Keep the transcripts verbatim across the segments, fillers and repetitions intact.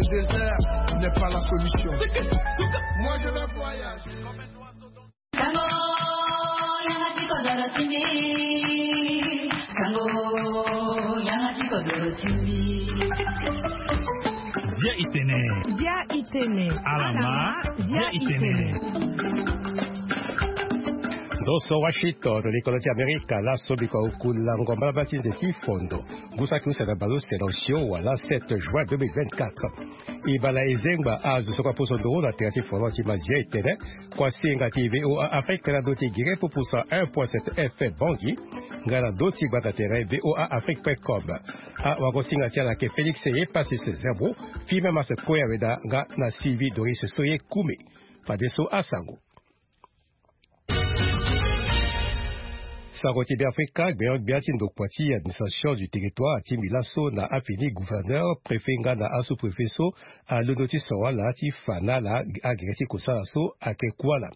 Désert n'est pas la solution. Moi, je vais voyager. Sango, yanga ti kodoro ti mbi. Sango, yanga ti kodoro ti mbi. Dia itene. Dia itene. Alama, dia itene. Ndo so Washington, likolo ti Amerika, laso biko akula ngomba la bati nze ti fondo. Ngu saki use na baleuse na osio wala sept juin deux mille vingt-quatre. E bala e zengba azo so kue aposo nduru na tere ti folon ti mazia e tene kua senga ti V O A Afrique na ndö ti gere pupu cent un point sept F M Bangui, nga na ndö ti gbata tere V O A Afrique point com. Awagosinga ti ala ayeke Félix Ye Passis Zerbo, Firmin Mas Kue Aweda nga na Sylvie Doris Soye Koume. Fadeso asango. Sango ti Beafrika, gbenyo-gbia ti ndokua ti administration du territoire atingbi laso na afini gouverneur, préfet nga na asous-préfet so alondo ti soro ala ti fa na ala agere ti kosala so ayeke ku ala.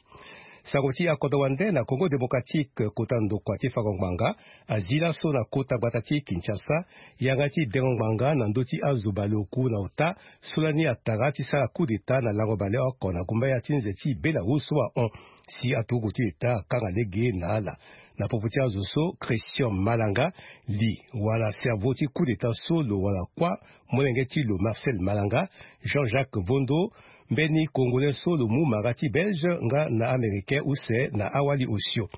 Sango ti akodro wande na Congo démocratique, kota ndokua ti fango ngbanga azi laso na kota gbata ti Kinshasa yanga ti dengo ngbanga na ndö ti azo baleoku na ota so lani atara ti sara coup d'état na lango baleoko na gumbaya ti nze ti Belarus so ahon. Si aturugu ti État akanga lege na ala. Na popo ti azo so, Christian Malanga, li wala cerveau ti coup d'état so lo wara kuâ molenge ti lo Marcel Malanga, Jean-Jacques Vondo, mbeni Congolais so lo mu mara ti Belge nga na Américain use na awali osio.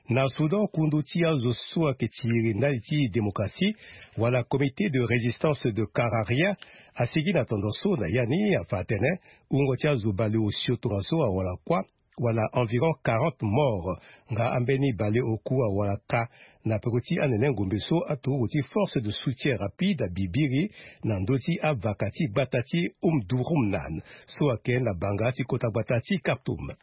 Na Soudan, kundu ti azo so ayeke tiri ndali ti démocratie wala Comité de résistance de Kararia asigi na tondo so na ya ni afa atene wungo ti azo baleosio tongaso awara kuâ wala environ quarante morts, nga ambeni baleoku awara kâ na peko ti anene ngombe so aturugu ti force de soutien rapide abibiri na ndö ti avaka ti gbata ti Omdurman so ayeke na banga ti kota gbata ti Khartoum.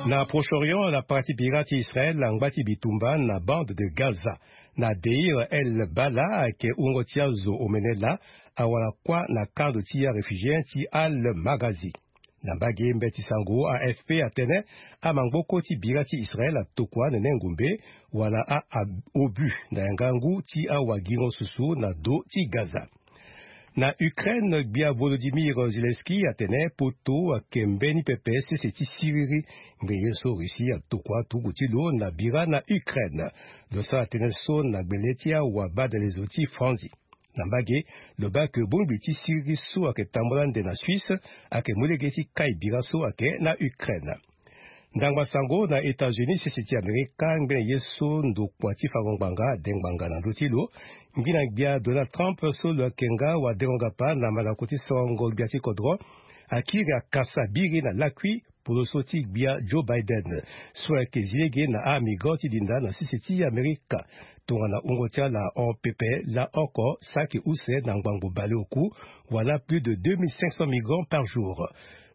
Na Proche-Orient, na para ti bira ti Israël angba ti bitumba na bande de Gaza. Na Deir el Balah ayeke wungo ti azo omene laa awara kuâ na kando ti aréfugié ti Al Maghazi. Na mbage mbeti sango A F P atene amangboko ti bira ti Israël atokua anene ngombe wala a, a obus na yanga ngu ti awagingo susu na do ti Gaza. Na Ukraine, gbia Volodymyr Zelensky atene poto ayeke mbeni pepe sese ti siriri ngbene ye so Russie atokua turugu ti lo na bira na Ukraine. Lo sara tënë so na gbele ti awabadalezo ti Franzi. Na mbage, lo baa ke bongbi ti siriri so ayeke tambula ande na Suisse ayeke mu lege ti kai bira so ayeke na Ukraine. Ndangba sango na États-Unis, sese ti Amerika, ngbene ye so ndokua ti fango ngbanga ade ngbanga na ndö ti lo. Ngbina gbia Donald Trump so lo yeke nga wadengo ngapa na mandako ti sorongo gbia ti kodro akiri akasa biri na lakui poloso ti gbia Joe Biden so ayeke zi lege na amigrant ti dinda na sese ti Amerika. Tongana wungo ti ala ahon pepe, laoko saki use na ngbangbo baleoku wala plus de deux mille cinq cents migrants par jour.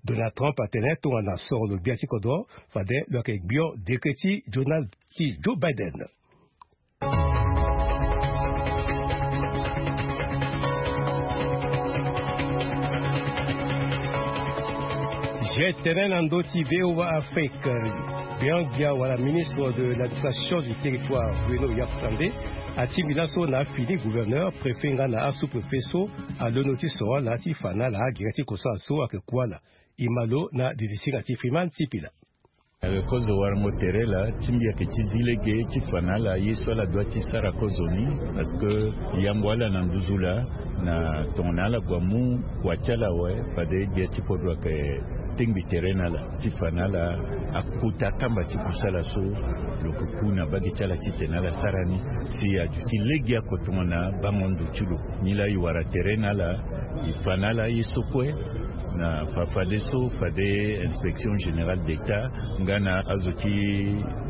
Donald Trump atene tongana soro lo gbia ti kodro, fade lo yeke gbio dekre ti Donald ti Joe Biden. Zia tënë na ndö ti V O A Afrique. Biangbia wala ministre de l'administration du territoire, Bruno Yafrande, atingbi laso na afini gouverneur, préfet nga na asous-préfet so alondo ti soro ala ti fa na ala agere ti kosala so ayeke ku ala. E ma lo na didisinga ti Freeman Sipila. Ayeke kozo warango tere laa ti mbi ayeke ti zi lege ti fa na ala ye so ala dua ti sara kozo ni. Parce que yambo ala na nduzu laa, na tongana ala gue amu kua ti ala awe, fade gbia ti kodro ayeke tengbi tere na ala ti fa na ala akota akamba ti kusala so lo yeke ku na mbage ti ala titene ala sara ni. Si aduti legeoko tongana bango ndo ti lo. Nilaa e wara tere na ala, e fa na ala ye so kue. Na fa fadeso fade inspection générale d'État nga na azo ti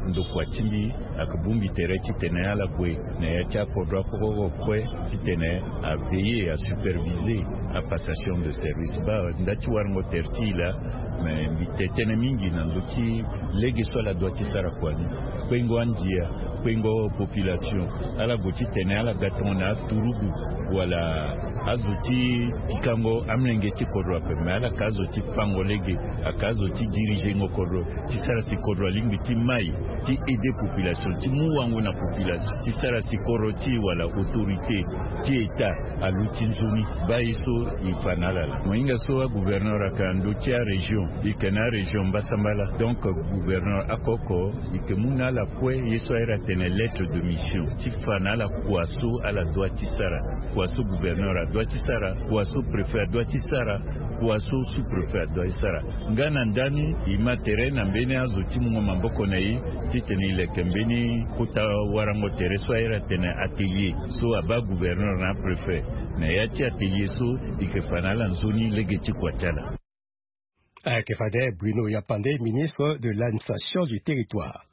ndokua ti mbi ayeke bongbi tere titene ala gue na ya ti akodro akokoko kue titene aveiller, asuperviser apassation de service. Baa nda ti warango tere ti e laa, me mbi te tënë mingi na ndö ti lege so ala dua ti sara kua ni. Kpengo andia, Kpengo population, ala gue titene ala ga tongana aturugu wala azo ti pikango amolenge ti kodro ape, me ala ka azo ti fango lege, aka azo ti dirigengo kodro, ti sara si kodro alingbi ti mai, ti aider population, ti mu wango na population, ti sara si kodro ti wala autorité ti état aluti nzoni. Baa ye so e fa na ala laa. Mo hinga so agouverneur ayeke na ndö ti arégion, e yeke na arégion mbasambala. Donc gouverneur akoko e yeke mu na ala kue ye so airi atene lettre de mission ti fa na ala kua so ala dua ti sara, kua so gouverneur adua ti sara, kua so préfet adua ti sara, kua so sous-préfet adua ti sara. Nga na ndani e ma tere na mbeni azo ti mungo maboko na e titene e leke mbeni kota warango tere so airi atene atelier, so abaa gouverneur na apréfet na ya ti atelier so e yeke fa na ala nzoni lege ti kua ti ala. Ayeke fade Bruno Yapande, ministre de l'administration du territoire.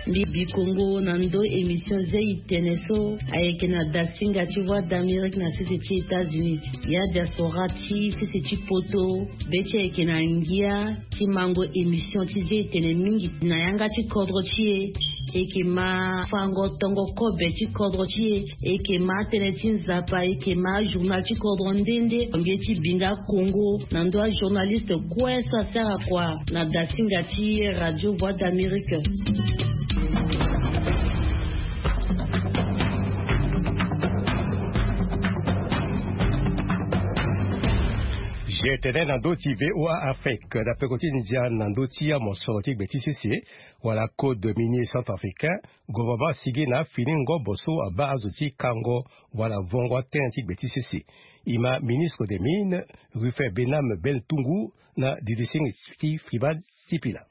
Mbi bi kongo na ndö émission zia e tene so ayeke na dasinga ti Voix d'Amérique na sese ti États-Unis. Ya diaspora ti sese ti poto, be ti e ayeke na ngia ti mango émission ti zia e tene mingi na yanga ti kodro ti e. E yeke ma fango tongo kobe ti kodro ti e. E yeke ma tënë ti nzapa, e yeke ma journal ti kodro nde nde. Mbi ye ti bi nga kongo na ndö ajournaliste kue so asara kua na dasinga ti Radio Voix d'Amérique. G T N na ndö ti V O A Afrique na peko ti ndia na ndö ti amosoro ti gbe ti sese wala code minier centrafricain. Gouvernement asigi na afini ngombo so abaa azo ti kango wala vongo atënë ti gbe ti sese. E ma ministre des mines, Rufin Benam Beltungu, na didisingi ti Friban Sipila.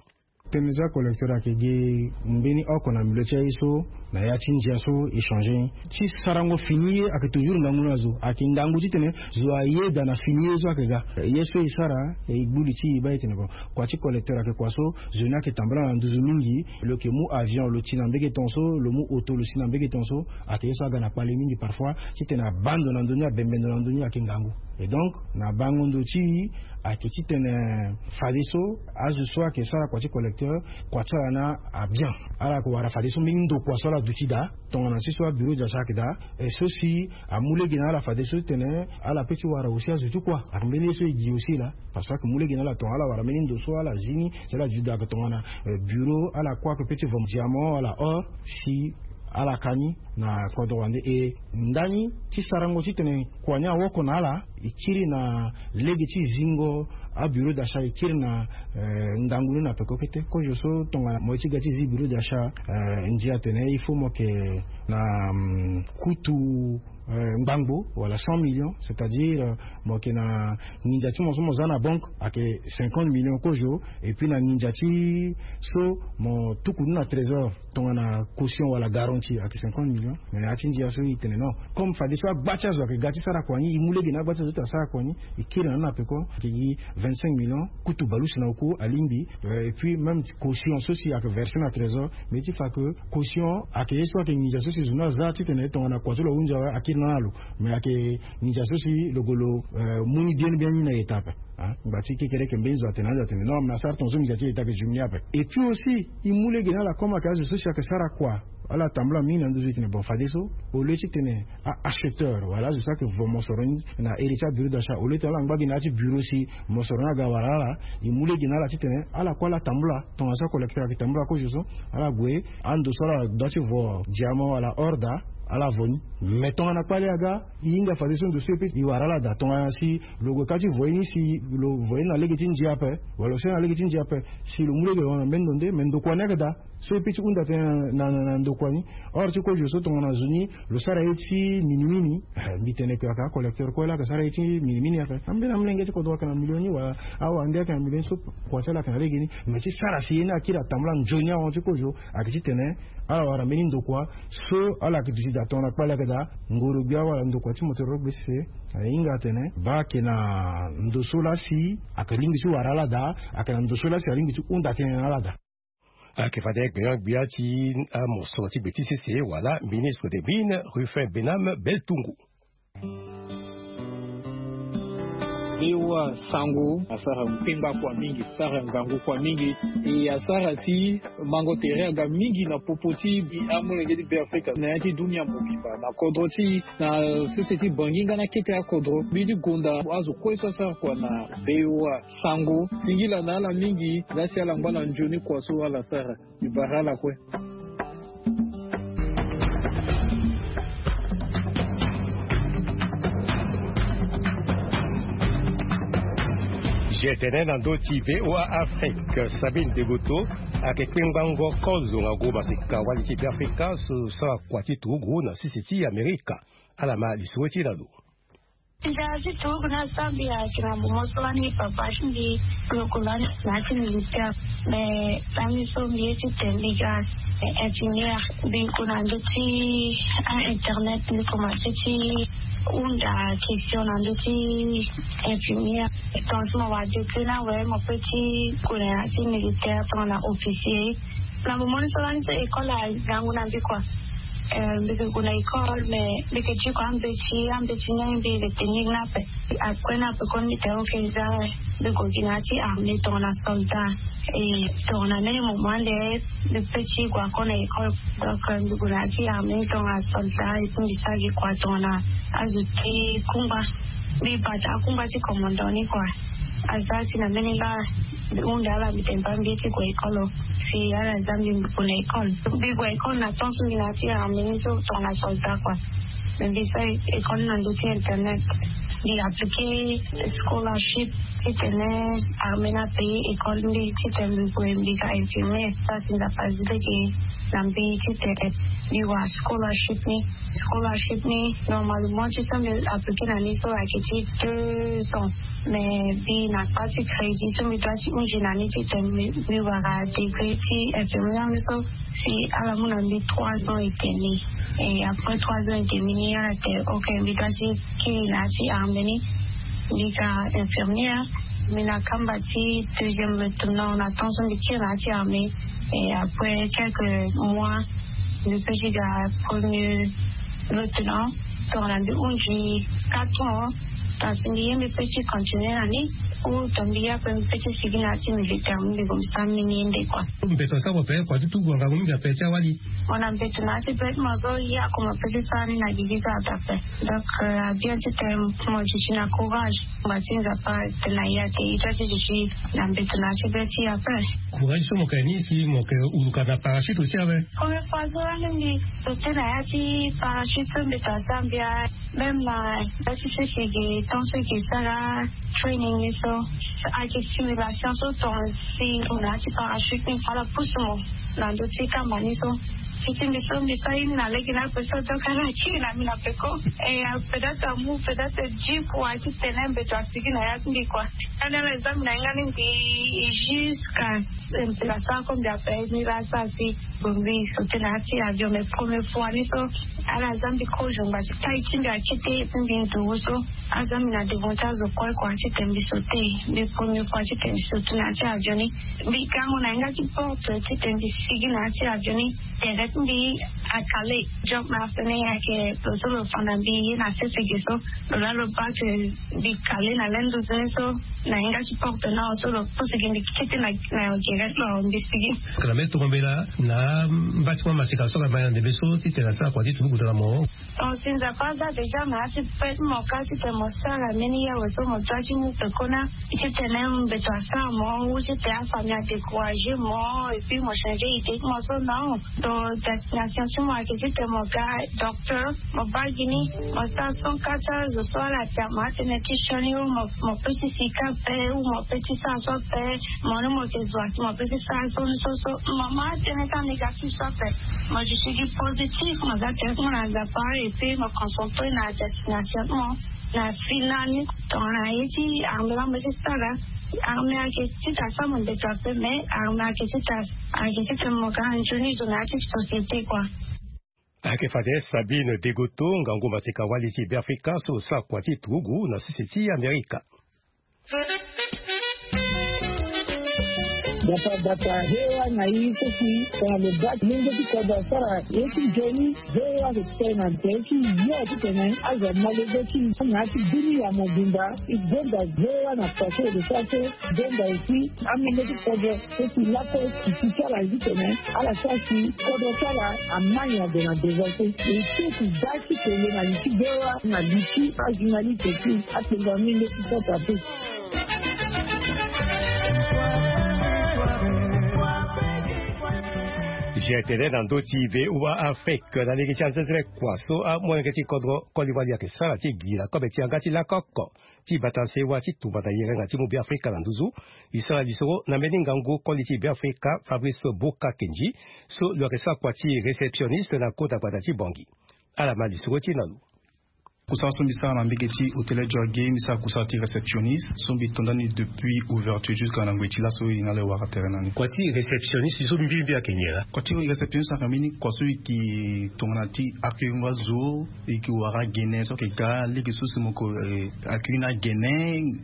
Tënë so acollecteur ayeke gi mbeni oko na milieu ti aye so na ya ti ndia so e changer ni. Ti sarango fini ye ayeke toujours ngangu na zo, ayeke ngangu titene zo ayeda na fini ye so ayeke ga. Ye so e sara, e gbu li ti e baa e tene bon, kua ti collecteur ayeke kua so zo ni ayeke tambula na nduzu mingi. Lo yeke mu avion lo ti na mbege tongaso, lo mu auto lo si na mbege tongaso. Ayeke ye so aga na kpale mingi parfois titene abaa ndo na ndö ni, abembe ndo na ndö ni ayeke ngangu. Et donc na bango ndo ti e ayeke titene fadeso azo so ayeke sara kua ti collecteur, kua ti ala ni abien. Ala yeke wara fadeso mbeni ndokua so ala duti daa tongana ti so abureau d'achat ayeke daa. E so si amu lege na ala fadeso titene ala pe ti wara aussi azo ti kua. Ayeke mbeni ye so e gi aussi laa. Parce que ayeke mu lege na ala tongana ala wara mbeni ndo so ala zi ni si ala duti daa ayeke tongana, eh, bureau, ala kue ayeke pe ti vendre diamant wala or si ala ka ni na kodro wande. E ndani ti sarango titene kua ni awoko na ala, e kiri na lege ti zingo abureau d'achat, e kiri na, eh, ngangu ni na peko kete. Kozo so tongana mo ye ti ga ti zi bureau d'achat, eh, ndia atene il faut mo yeke na, mm, kutu, eh, ngbangbo wala cent millions, c'est-à-dire, eh, mo yeke na nginza ti mo so mo za na banque ayeke cinquante millions kozo, et puis na nginza ti so mo tuku ni na trésor tongana caution wala garantie ayeke cinquante millions. Mais na ya ti ndia so e tene non, comme fadeso agba ti azo ayeke ga ti sara kua ni, e mu lege na agba ti azo ti asara kua ni, e kiri na ni na peko, ayeke gi vingt-cinq millions, kutu bale use na oku alingbi, euh, et puis même caution so si ayeke verser na trésor. Mais ti fa que caution ayeke ye so ayeke nginza so si zo ni aza titene tongana kua ti lo ahunzi awe akiri na ni na lo. Mais ayeke nginza so si lo gue lo, euh, mu ni bien bien ni na ita ape. Hein? Ngba ti kekereke mbeni zo atene ande atene non, mais asara tongaso nginza ti ita ayeke diminuer ape. Et puis aussi e mu lege na ala comme ayeke azo so si ayeke sara kua, ala tambula mingi na ndö so e tene bon, fadeso au lieu titene a-acheteur wala azo so ayeke vo mosoro ni na ere ti abureau d'achat, au lieu titene ala ngba gi na ya ti bureau si mosoro ni aga wara ala, e mu lege na ala titene ala kue ala tambula tongana so acollecteur ayeke tambula kozo so, ala gue ando so ala dua ti vo diamant wala or daa, ala vo ni. Mais tongana kpale aga, e hinga fadeso ndo so e pe e wara ala daa. Tongana si lo gue ka ti vo ye ni, si lo vo ye ni na lege ti ndia ape wala lo sara na lege ti ndia ape, si lo mu lege lo na mbeni ndo nde, mais ndokua ni ayeke daa. So e pe ti hunda tënë na, na, na ndokua ni. Or ti kozo so tongana zo ni lo sara ye ti minimini, eh, mbi tene que ayeke acollecteur kue laa ayeke sara ye ti minimini ape. Ambeni amolenge ti kodro ayeke na million ni wala awande ayeke na million ni so kua ti ala ayeke na lege ni. Mais ti sara si ye ni akiri atambula nzoni ahon ti kozo, ayeke titene ala wara mbeni ndokua so ala yeke duti daa tongana kpale ayeke daa, ngoro gbia wala ndokua ti motoro gbe sese. Ahinga atene baa ayeke na ndo so laa si ayeke lingbi ti wara ala daa, ayeke na ndo so laa si alingbi ti hunda tënë na ala daa. Ayeke fade gbenyo-gbia ti amosoro ti gbe ti sese wala ministre des mines, Rufin Benam Beltungu. Be wa sango asara mpemba kua mingi, sara ngangu kua mingi. E asara si mango tere aga mingi na popo ti amolenge ti Be Afrika na ya ti dunia mobimba na kodro ti na sese ti Bangi nga na kete akodro. Mbi ti gonda azo kue so asara kua na be wa sango singila na ala mingi. Nga si ala ngba na nzoni kua so ala sara. Mbi bara ala kue. Gtene na ndö ti V O A Afrique, Sabine Degoto ayeke kpengbango kozo nga gu maseka wali ti Be Afrika so sara kua ti turugu na sese ti Amerika. Ala ma lisoro ti na lo. Nzara ti turugu na Zambia ayeke na momo so lani papa ti mbi lo yeke lani na ya ti militaire. Mais lani so mbi ye ti tene mbi ga infirmière. Mbi gue na ndö ti a internet, mbi komanse ti hunda question na ndö ti infirmière. Ton so mo wara degré ni awe, mo pe ti gue na ya ti militaire tongana officier. Na momo ni so lani so école agangu na mbi kua. Eh, mbi ke gue na école, mais mbi ke ti gue ambeti, ambeti ni mbi ke tenir ni ape. Après ni ape kue mbi tene ok, za mbi gue gi na ya ti armée tongana soldat. E tongana mbeni moment ande mbi pe ti gue encore na école. Donc, eh, mbi gue na ya ti armée ni tongana soldat, et puis mbi sara gi kua tongana azo ti kungba. Mbi bata akungba ti commandant ni kua. Aza si na mbeni nga mbi hunda ala, mbi tene baa mbi ye ti gue école o. Si ala za mbi, mbi gue na école. Mbi gue école na temps so mbi na ya ti armée ni so tongana soldat kua. Mais mbi sara école ni na ndö ti internet. Mbi appliqué scholarship titene armée ni apaye école mbi titene mbi gue mbi ga infirmière. Sara si Nzapa azi lege na mbi titene mbi wara scholarship ni. Scholarship ni, normalement, ti so mbi appliqué na ni so ayeke ti deux ans. Mais mbi na kpa ti crédit so mbi doit ti hunzi na ni titene mbi, mbi wara degré ti infirmière ni so. Si ala mu na mbi trois ans et demi. Et après trois ans et demi ni, ala tene ok, mbi doit ti kiri na ya ti armée ni. Mbi ga infirmière. Mbi na kamba ti deuxième lieutenant na temps so mbi kiri na ya ti armée. Et après quelques mois, mbi pe ti ga premier lieutenant. Tongana mbi hunzi quatre ans, kasi mbi ye mbi pe ti continuer na ni. Ou tongana mbi ye ape mbi pe ti sigi na ya ti militaire, mbi gue mbi sara mbeni ye nde kua. Mbeto asara mo pe kua ti tugu ngangu mingi ape ti awali. Mo na mbeto na ya ti be ti mo so, ye ako mo pe ti sara ni na gigi so ape ape. Donc, euh, abien titene mo duti na courage. Ngba ti Nzapa atene na e ate, e doit ti duti na mbeto na ya ti be ti e ape. Courage so mo yeke ni si mo yeke huluka na parachute aussi awe. Première fois so lani mbi sauté na ya ti parachute so mbeto asara mbi awe. Même na ya ti sese ge temps so e yeke sara training ni so, ayeke simulation so tonga si mo na ya ti parachute ni ala pusu mo na ndö ti kamba ni so. Ti ti mbi so mbi sara ye ni na lege ni ape so, donc ala kiri na mbi na peko. Et, euh, peut-être amu peut-être dix fois titene mbeto asigi na ya ti mbi kua. Ani ala za mbi na hinga ni mbi jusqu'à, euh, mbi asara comme mbi ape ni la sa si. Bon, mbi sauté na ya ti avion, mais première fois ni so, ala za mbi kozo ngba ti taille ti mbi akete, et puis mbi nduru so. Aza mbi na devant ti azo kue kua titene mbi sauté. Mbi première fois titene mbi sauté na ya ti avion ni. Mbi gango na yanga ti porte titene mbi sigi na ya ti avion ni. Tere ti mbi acalé. Jump master ni ayeke lo so lo fa na mbi ye na sese ge so. Lo laa lo baa que mbi calé na lenduz ni so. Na yanga ti porte ni awe so lo pusu gi mbi kete na, na gere ti lo awe mbi sigi. Ka na mbeni tongana mbela na mba ti mo amaseka so ka ma na ndembe so titene asara kua ti turugu na mo. Ton si Nzapa aza déjà na ya ti pe ti mo ka titene mo sara mbeni ye awe so mo doit ti mu pekoni titene mbeto asara mo ou titene afamille adécouragé mo et puis mo changé idée ti mo so, non. Donc destination ti mo ayeke titene mo ga docteur, mo baa gi ni, mo sara son ka ti azo so ala tere mo atene ti sioni ou mo, mo pe ti sika ape ou mo pe ti sara so ape, mo ni mo yeke zo asi mo pe ti sara so ni so so, mo ma atene ti anégatif so ape. Mo duti gi positif, mo za tere ti mo na Nzapa et puis mo concentré na destination ti mo na final ni. Tongana ye ti armée la mo ye ti sara, armée ayeke ti ta sara mo mbeto ape, mais armée ayeke ti ta, ayeke ti tene mo ga nzoni zo na ya ti société kua. Ayeke fade Sabine Degoto, ngangu mateka wali ti Beafrika so sara kua ti turugu na sese ti Amerika. Bata bata hewa na i so si tongana lo baa ti lenge ti kodro asara ye ti nzoni. Hewa so ti tene na nze ti yo ti tene azo amolenge ti na ya ti bini ya mobimba. I benda hewa na pase de sa so benda esi amolenge ti kodro so si lako ti ti ti ala ti tene ala sa si kodro ti ala amani ade na devance. E ti ti da ti tene na li ti hewa na li ti ajournaliste ti atengua minde ti kota pe. Gtd na ndö ti voa afrique na lege ti anzenze kua so amolenge ti kodro koli wali ayeke sara ti gi na kobe ti yanga ti lakoko ti bata sewa ti tumba na yenga ti mu beafrika na nduzu. E sara lisoro na mbeni ngangu koli ti beafrika fabrice boka kenji so lo yeke sara kua ti réceptionniste na kota gbata ti bongi. Ala ma lisoro ti na lo. Kusala so mbi sara na mbege ti hôtel jorge mbi sara kusala ti réceptionniste so mbi tonda ni depuis ouverture jusqu'à na ngoi ti laso e na ala e wara tere na ni. Kua ti réceptionniste so mbi mbi ayeke nyen laa? Kua ti réceptionniste ayeke mbeni kua so e ke tongana ti accueillir ngo azo. E ke wara gene so ayeke ga lege so si mo ko accueillir na gene.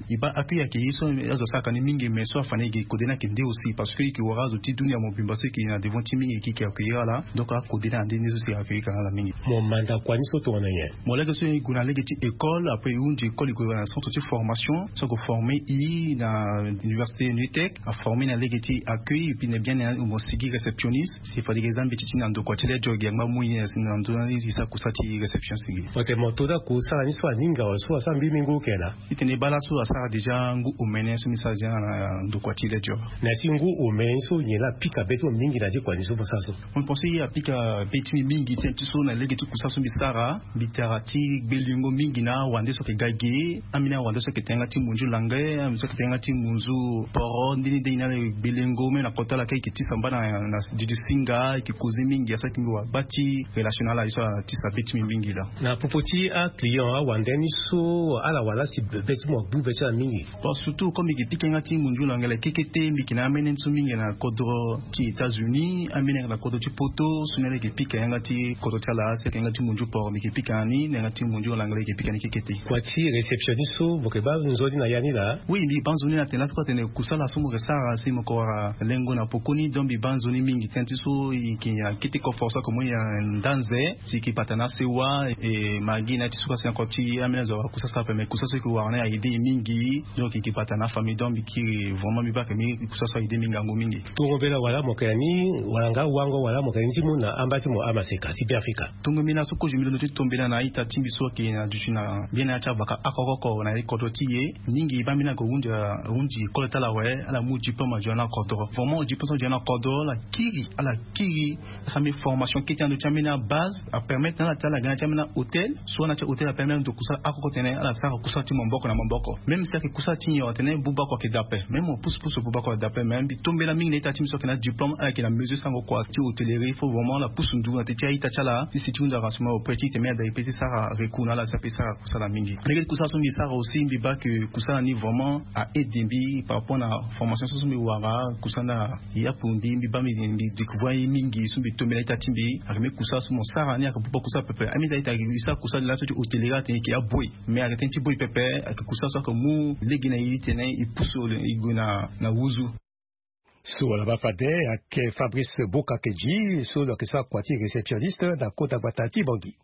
E baa accueillir ayeke ye so azo asara ka ni mingi mais so afa ni e ke kode ni ayeke nde aussi parce que e ke wara azo ti dunia mobimba so e ke na devant ti mingi e ke accueillir ala. Donc akode ni ande nde so si e accueillir ka na ala mingi. Mo manda kua ni so tongana nyen? Mo lege so e gue na lege ti école après e hunzi école e gue na centre ti formation so ako former e na université nutec. Aformer na lege ti accueil et puis na bien na mo sigi réceptionniste. Si fade ke za mbeti ti na ndokua ti le joge angba mu ye na ndo na ni ti sa kusa ti réception sigi. Ok, mo to da kusala ni so aninga wa so asara mbi mingi oke na? Itene bala so asara déjà ngu omene so mbi sara déjà na ndokua ti le joge. Na ti ngu omene so nyen la apika be ti mo mingi na ti kua ni so mo sara so? Mo pense ye apika be ti mbi mingi ti ti so na lege ti kusa so mbi sara. Mbi tara ti gbelingo mingi na awande so ayeke ga ge. Ambeni awande so ayeke tenga ti munzu lange, ambeni so ayeke tenga ti munzu poro ndeni de ni na le gbelingo même na kota ala ka eke ti samba na na didi singa eke koze mingi asara ti mbi wa gba ti relation na ala ye so atisa be ti mbi mingi laa. Na popo ti aclient awande ni so ala wala si be ti mo agbu be ti ala mingi? Bon surtout comme mbi ke pika yanga ti munzu langele kekete mbi ke na amene ni so mingi na kodro ti états-unis amene na kodro ti poto so ni ala eke pika yanga ti kodro ti ala si ayeke yanga ti munzu poro mbi ke pika ni na yanga ti munzu langele eke pika ni kekete. Kua ti réceptionniste so mo ke baa nzoni na ya ni laa? Oui mbi baa nzoni na tene laso kue atene kusala so mo ke sara si mo ko wara lengo na pokoni donc mbi baa nzoni mingi tënë ti so e yeke akete koforo so ako mo ya ndanze si e ke bata na asewa e ma gi na ya ti so kasi na kua ti ambeni azo awara kusala sara ape mais kusala so e ke wara ni a aide e mingi. Donc e ke bata na afamille donc mbi kiri vraiment mbi baa ake mingi kusala so a aide mbi ngangu mingi. Tongo mbela wala mo yeke na ni wala nga wango wala mo yeke na ni ti mu na amba ti mo amaseka ti beafrika? Tongo mbi na so kozo mbi londo ti tombela na a-ita ti mbi so ayeke na duti na mbeni ya ti avaka oko oko na ye kodro ti e. Mingi baa mbi na yeke hunzi hunzi école ti ala awe. Ala mu diplôme azo na kodro vraiment diplôme so azo na kodro ala kiri ala kiri. Asara mbi formation kete na ndo ti ambeni abase apermettre na ala ti ala ga na ya ti ambeni ahôtel so na ya ti ahôtel apermettre na ndo kusala oko oko tene ala sara kusala ti maboko na maboko. Même si ayeke kusala ti nyon atene buba kua ayeke dape même mo pusu pusu buba kua dape mais mbi tombela mingi na ita ti mbi so ayeke na diplôme ala yeke na mesure sango kua ti hôtellerie il faut vraiment ala pusu ndu na te ti a-ita ti ala ti si ti hunda renseignement auprès ti tene mbi ada e pe ti sara recours na ala si ape sara kusala mingi. Lege ti kusala so mbi sara aussi mbi baa ke kusala ni vraiment a aide mbi par rapport na formation so so mbi wara kusala na yapu mbi mbi baa mbi mbi découvrir ye mingi so mbi tombela ita ti mbi ayeke mbi kusala so mo sara ni ayeke buba kusala pepe. Ambi ita ita e sara kusala ni laso ti hôtellerie atene e yeke aboyi mais ayeke tënë ti boyi pepe. Ayeke kusala so ayeke mu lege na e ti tene e pusu e gue na na wuzu. So wala baa fade ayeke fabrice boka kedji so lo yeke sara kua ti réceptionniste na kota gbata ti bongi.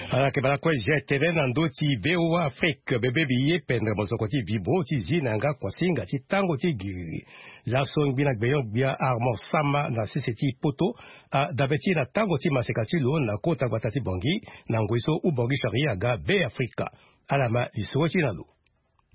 Ala yeke bala kue zia tene na ndö ti voa afrique bebe mbi ye pendre mosoko ti bibo ti zi na yanga kuasinga ti tango ti giriri. Laso ngbi na gbenyo-gbia armand sama na sese ti poto adabe ti na tango ti maseka ti lo na kota gbata ti bongi na ngoi so ubongi sari aga be afrika. Ala ma lisoro ti na lo.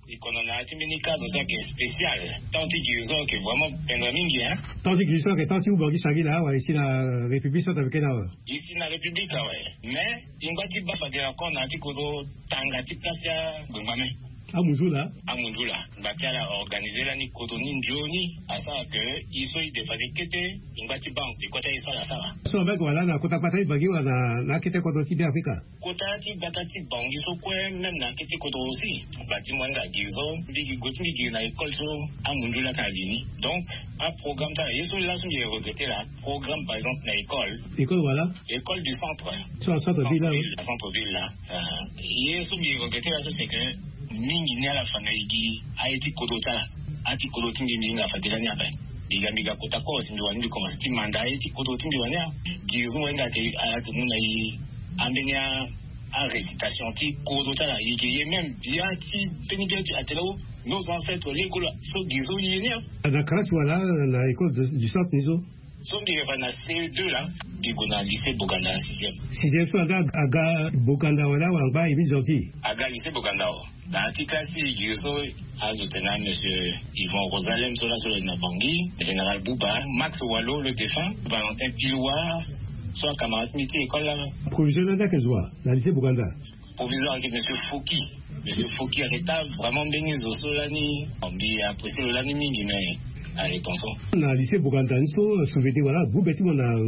E kono na ya ti mbeni cadre so ayeke spécial. Temps ti guérison ayeke vraiment pendre mingi hein. Temps ti guérison ayeke temps ti ubongi sari laa wala e si na république centrafricaine awe? E si na république awe. Mais e ngba ti baa fade na kona ti kozo tanga ti place ti agbengba me. Amundula. Amundula. Ngba ti ala organisé lani koto ni nzoni. Asara ke i so i défalé kete. Ngba ti banque de kota i sala sala. So abek wala na kota kpata i bagi wala na kete koto ti be afrika. Kota ti gbata ti bangi so kue même na kete koto aussi. Ngba ti moyen ga giri so mbigi go ti mbigi na école so. Amundula ka lini donc aprogramme ti ala ye so laso mbi regretté la. Programme par exemple na école. École wala. École du centre. Sur le centre ville là. Centre ville là. Ye so mbi regretté la so c'est que mingi ni ala fa na igi aye ti kodo ti ala. Ati kodo ti mbi mbi nga fa dela ni ape. Mbi ga mbi ga kota koro si mbi wani mbi commencé ti manda aye ti kodo ti mbi wani a. Giri so wani nga ke ala ke mu na ye. Ambeni a arécitation ti kodo ti ala ye ke ye même bia ti mbeni bia ti atene o nos ancêtres lego la so giri so ye ni a. Na classe wala na école du centre ni so. So mbi refa na ce deux là. Mbi go na lycée boganda na sixième. Sixième so aga aga boganda wala wala ngba ye mbi gentil. Aga lycée boganda o. Na ti classe ti giri so azo tena monsieur yvon rosalem so laso lo na bangi, général bouba, max walo le défunt, valentin piloir, so acamarade mbi ti école la. Proviseur landa ke zo wa na lycée boganda. Proviseur ake monsieur foki. Monsieur foki ake ta vraiment mbeni zo so lani. Mbi apprécié lo lani mingi mais aye ton so. Na lycée boganda ni so souvété wala groupe ti mo na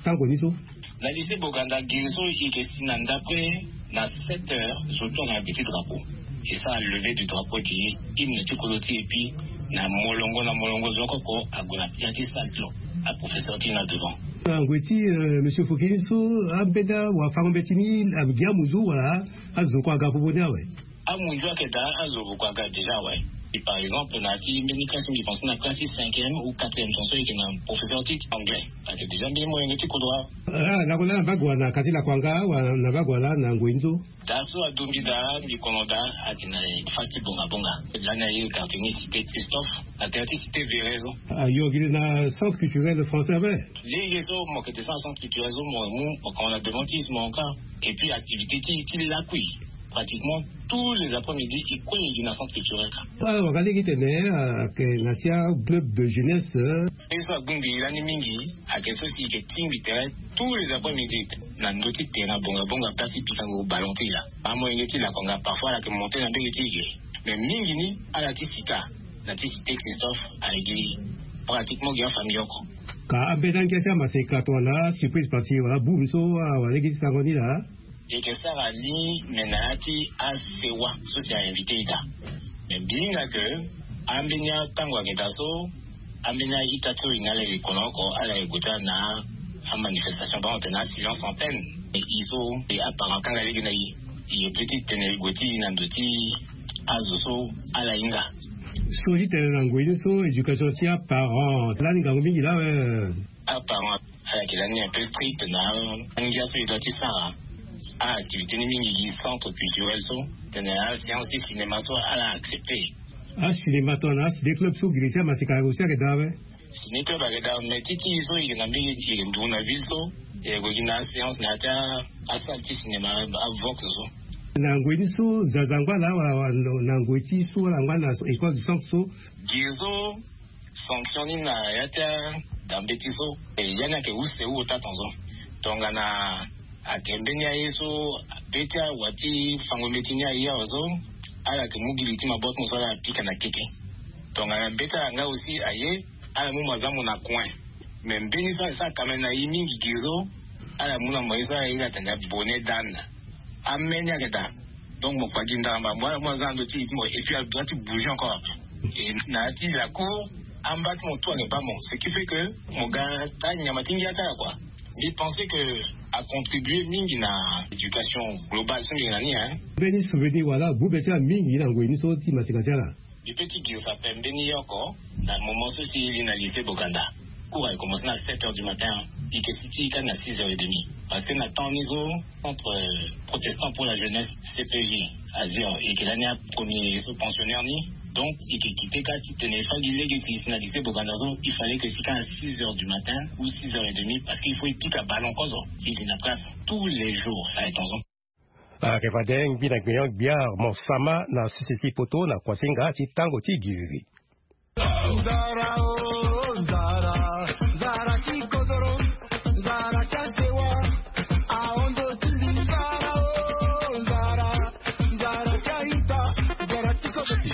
tango ni so. Na lycée boganda giri so i ke si na ndapre na sept heures zo tongana petit drapeau. Et ça a levé du drapeau ki hymne ti kolo ti et puis na molongo na molongo zo koko ago na pia ti salle ti lo. Aprofesseur ti na devant. Angwe ti monsieur fokini so ambenda wa fango mbeti ni. Agiamu zo wala azo ko aga popo ni awe. Amunzu ake daa azo boko aga déjà ouais. Et par exemple na ti mbeni classe mbi pense na classe ti cinquième ou quatrième ton so eke na professeur ti anglais. Ake déjà mbeni moyen ti kodro awe. Ah lako laa na bagua na kati lako anga wa na bagua laa na ngoi nzo. Daa so adumbi daa mbi kono daa ake na fasi ti bonga bonga. Lani aye quartier ni cité christophe. Na terre ti cité véré so. Ayo gi na centre culturel français abe. Lege so mo kete sans centre culturel so mo mu mo kono na devant ti mo encore. Et puis activité ti ti lakui. Pratiquement tous les après-midi i kue i gi na centre culturel ka. Waka lege tene ake na ti aclub de jeunesse. Mpe so agbingbi i lani mingi ake so si i ke tingbi tere tous les après-midi na ndö ti tere na bonga bonga place ti pikango ballon ti i la. Amolenge ti lako nga parfois ala ke monte na mbege ti i ge. Mais mingi ni ala ti sika na ti cité christophe ala gi pratiquement gi afamille oko. Ka ambeni angia ti amaseka tongana surprise partie wala boum so awalege ti sango ni laa. Eke sara ni me na ya ti asewa so si ainvité ita. Me mbi hinga ke ambeni atango ayeke daa so ambeni aita ti so e nga ala yeke kono oko ala yeke gue ti ala na amanifestation bango tene asilence antenne. E i so e aparent kanga lege na i. E ye pe ti tene e gue ti i na ndo ti azo so ala hinga. So ti tene na ngoi ni so éducation ti aparent lani ngangu mingi lawe. Aparent ala yeke lani un peu strict na angia so e doit ti sara. Aactivité ni mingi gi centre culturel so tene aséance ti cinéma so ala accepté. Acinéma tongana aciné club so giri ti amaseka aussi ayeke daa awe. Ciné club ayeke daa mais ti ti e so e yeke na mbege e yeke nduru na ville so. E yeke gue gi na aséance na ya ti asalle ti cinéma avox so. Na ngoi ni so zaza angba laa wala na ngoi ti so wala angba na école du centre so. Giri so sanction ni na ya ti adambe ti so. Ya ni ayeke use wu ota tonzo tongana ayeke mbeni aye so be ti awa ti fango mbeti ni aye awe so ala yeke mu gi li ti maboko ti mo so ala pika na keke. Tongana be ti ala nga aussi aye ala mu mazambo na coin. Mais mbeni so asara kamene na e mingi giri so ala mu na mo ye so ala hinga tene bonnet d'ane. Ameni ayeke daa. Donc mo kpa gi ndara mba mo ala mu aza na ndo ti e ti mo et puis ala doit ti bouger encore. Et na ya ti la cour amba ti mo tout ayeke baa mo ce qui fait que mo ga taa nyama ti ngia ti ala kua. Mbi pensé que acontribué mingi na éducation globale so mbi yeke na ni hein. Mbeni souvenir wala gbu be ti ala mingi na ngoi ni so ti maseka ti ala. Mbi pe ti girisa pembeni yoko na moment so si li na lycée boganda. Cours aye commencé na sept heures du matin. Ike si ti ika na six heures et demi parce que na temps ni so centre protestant pour la jeunesse cpj azir ike lani apremier so pensionnaire ni. Donc ike kite ka ti tene fagi lege si si na lycée boganda so il fallait que si ka na six heures du matin ou six heures et demi parce qu'il faut ipika ballon kozo si si na classe tous les jours aye tonzo. Ayeke fade ngbi na gbenyo gbia mo sama na sese ti poto na kuasinga ti tango ti giriri. Nzara o nzara, nzara ti kodoro, nzara ti asewa. Aondo ti mbi nzara o nzara, nzara ti aita, nzara ti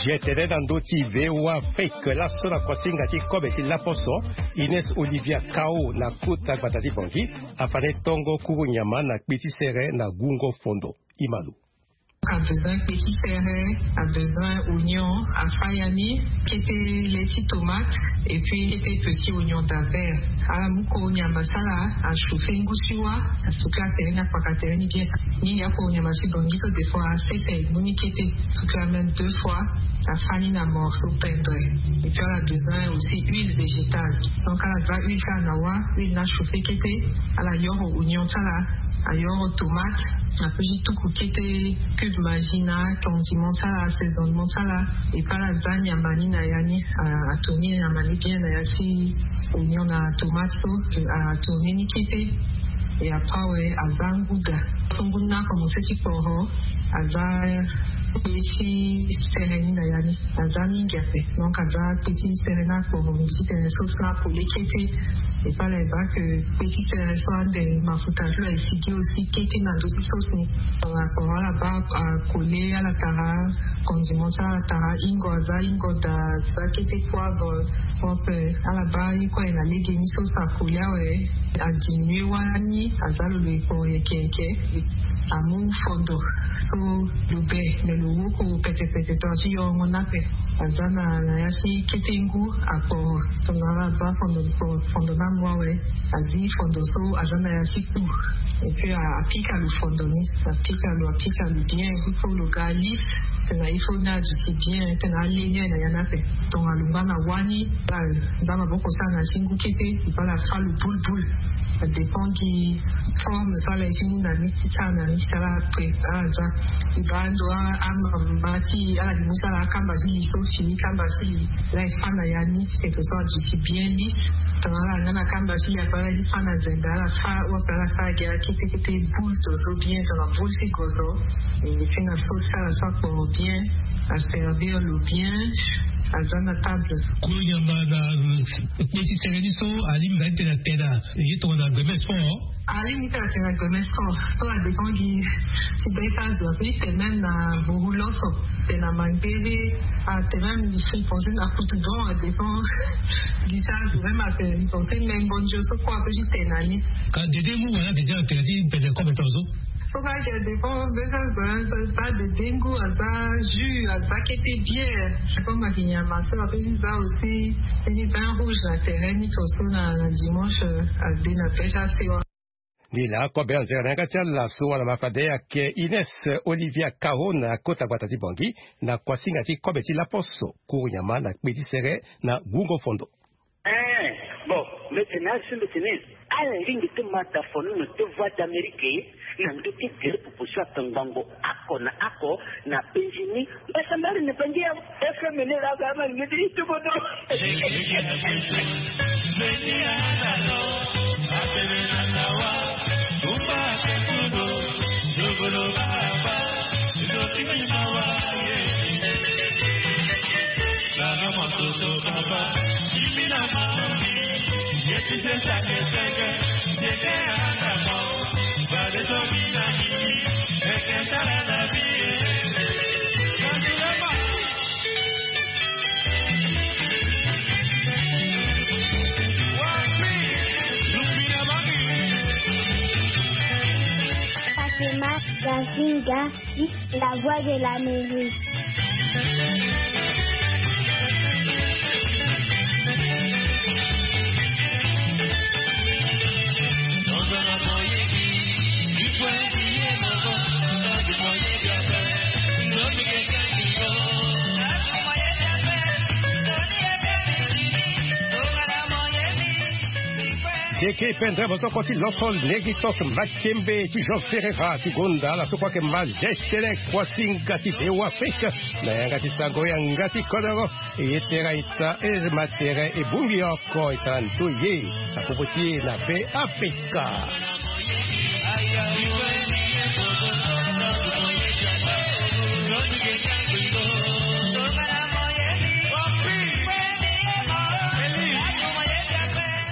Ye tene na ndö ti V O A Afrique laso na kuasinga ti kobe ti laposo, Ines Olivia Kao na kota gbata ti Bangui afa ni tongo kuru nyama na kpe ti sere na gungo fondo. Imalo. A besoin kpe ti sere, a besoin oignon, a fa ya ni, kete le ti tomate, et puis kete petit oignon d'Albert. Ala mu koro nyama ti ala, a chauffer ngu ti wa, a souffler atere ni, akpaka atere ni bien. Ni ya koro nyama ti Bangui so des fois a sese, e mu ni kete, souffler même deux fois, a fa ni na morceau pendre. Et puis ala besoin aussi huile végétale. Donc ala za huile ti ala na wa, huile ni a chauffer kete, ala yoro oignon ti ala, a yoro tomate, a peut ti tuku kete cube Maggi na condiment ti ala, assaisonnement ti ala. Et puis ala za nyama ni na ya ni, a, a tourner nyama ni bien na ya ti oignon na tomate so, a tourner ni kete. Et après awe, a za nguda. So ngu ni a commencer ti kporo, a za kpe ti sere ni na ya ni. A za mingi ape. Donc a za kpe ti sere ni akporo, mbi ti tene so so akole kete. Et puis ala yeba que kpe ti sere so ande mafuta ti lo aye sigi aussi kete na ndö ti sauce ni. Donc akporo ala baa, a, kole, ala tara condiment ti ala, tara hingo, a za hingo daa, a za kete poivre, hop, ala baa ye kue aye na legeni so so akole awe. A diminuer wani, a za lo lo e kporo yeke yeke. A mu fondo so lo be, mais lo woko pete pete, tongana ti yorongo ni ape. A za na, na ya ti kete ngu, a kporo. Tongana ala baa fondo, kporo, fondo ni amu awe. A zi fondo so, a za na ya ti kpu. Et puis a, a pika lo fondo ni, a pika lo, a pika lo bien, il faut lo ga lisse. Tena il faut ni aduti bien, tena ale ni aye na ya ni ape. Tongana lo ngba na wani, a za maboko so a na ti ngu kete, e baa ala fa lo boule boule. A dépend gi forme so ala ye ti mu na ni ti sara na ni ti sara après. Ala za, e baa ando a, amama ti ala gi mu ti ala akamba ti li so fini kamba ti li. Ala e fa na ya ni ti tene so aduti bien lisse. Tongana ala nga na kamba ti li ape, ala ye ti fa na zende, ala fa, ou ape ala sara gi ala kete kete boule to so bien, tongana boule ti gozo. Et puis na sauce ti ala so akporo bien, a servir lo bien, a za na table. Kuru nyama na kpe ti sere ni so, alingbi nga ti tene atene na ye tongana gbemes fort. Alingbi ti tene atene na gbemes fort. So a dépend gi ti be ti azo, a peut ti tene même na boru loso, tene na mangbere, a tene même, mbi pense na kutu, bon, a dépend gi ti azo, même a tene, mbi pense même mbondio so kue a peut ti tene na ni. Ka dede ngu wala déjà atene ti pede kobe tongaso? So kue a dépend be ti azo, hein, a za dede ngu, a za jus, a za kete bière. Comme ayeke nyama so a peut ti za aussi ni vin rouge na tere ni tongaso na, na dimanche, euh, a de na be ti asewa. Ni laa kobe anzere na yanga ti ala so wala ma fade ayeke Ines Olivia Kao na kota gbata ti Bangui na kuasinga ti kobe ti laposo, kuru nyama na kpe ti sere na gungo fondo. Eh, bon, mbi tene azo mbi tene ala lingbi ti ma da fono na deux voix d'Amérique na ndö ti tere proposition akangbango oko na oko na penzi ni. Mbasambari ni penzi ya F M ni la ga ma ngeti itu bodo. Fatima Gazinga, la voix de l'Amérique. Keke pendere mosoko ti loso legi tos makembe ti Jean Ferreira ti gonda ala so kue ayeke ma zetele kuasinga ti V O A Afrique na yanga ti sango yanga ti kodoro. E ye tere aita e ma tere e bongbi oko e sara ndoye na popo ti e na be Afrika.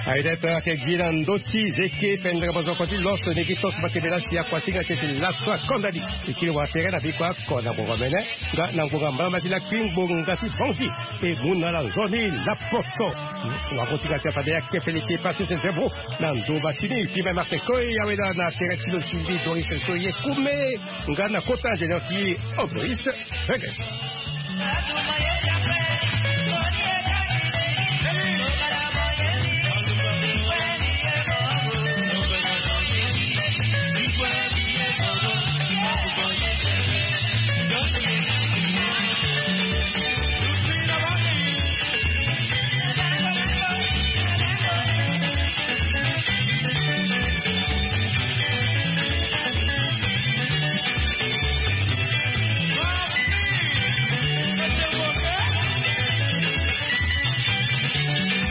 Aye daa e pe ayeke gi na ndö ti zeke pendere mozoko ti loso ni gi toso makebela si akuasinga teti laso akondani. E kiri wara tere na biko ako na ngonga mene. Nga na ngonga mbala ma ti lakui ngbonga ti bangi e mu na ala nzoni laposo. Wango ti ga ti afade ake fele ti e pasi se nzembo na ndumba ti ni pima martin koi awe daa na tere ti lo sumbi doris so ye kume. Nga na kota ingénieur ti e oblois. Regres.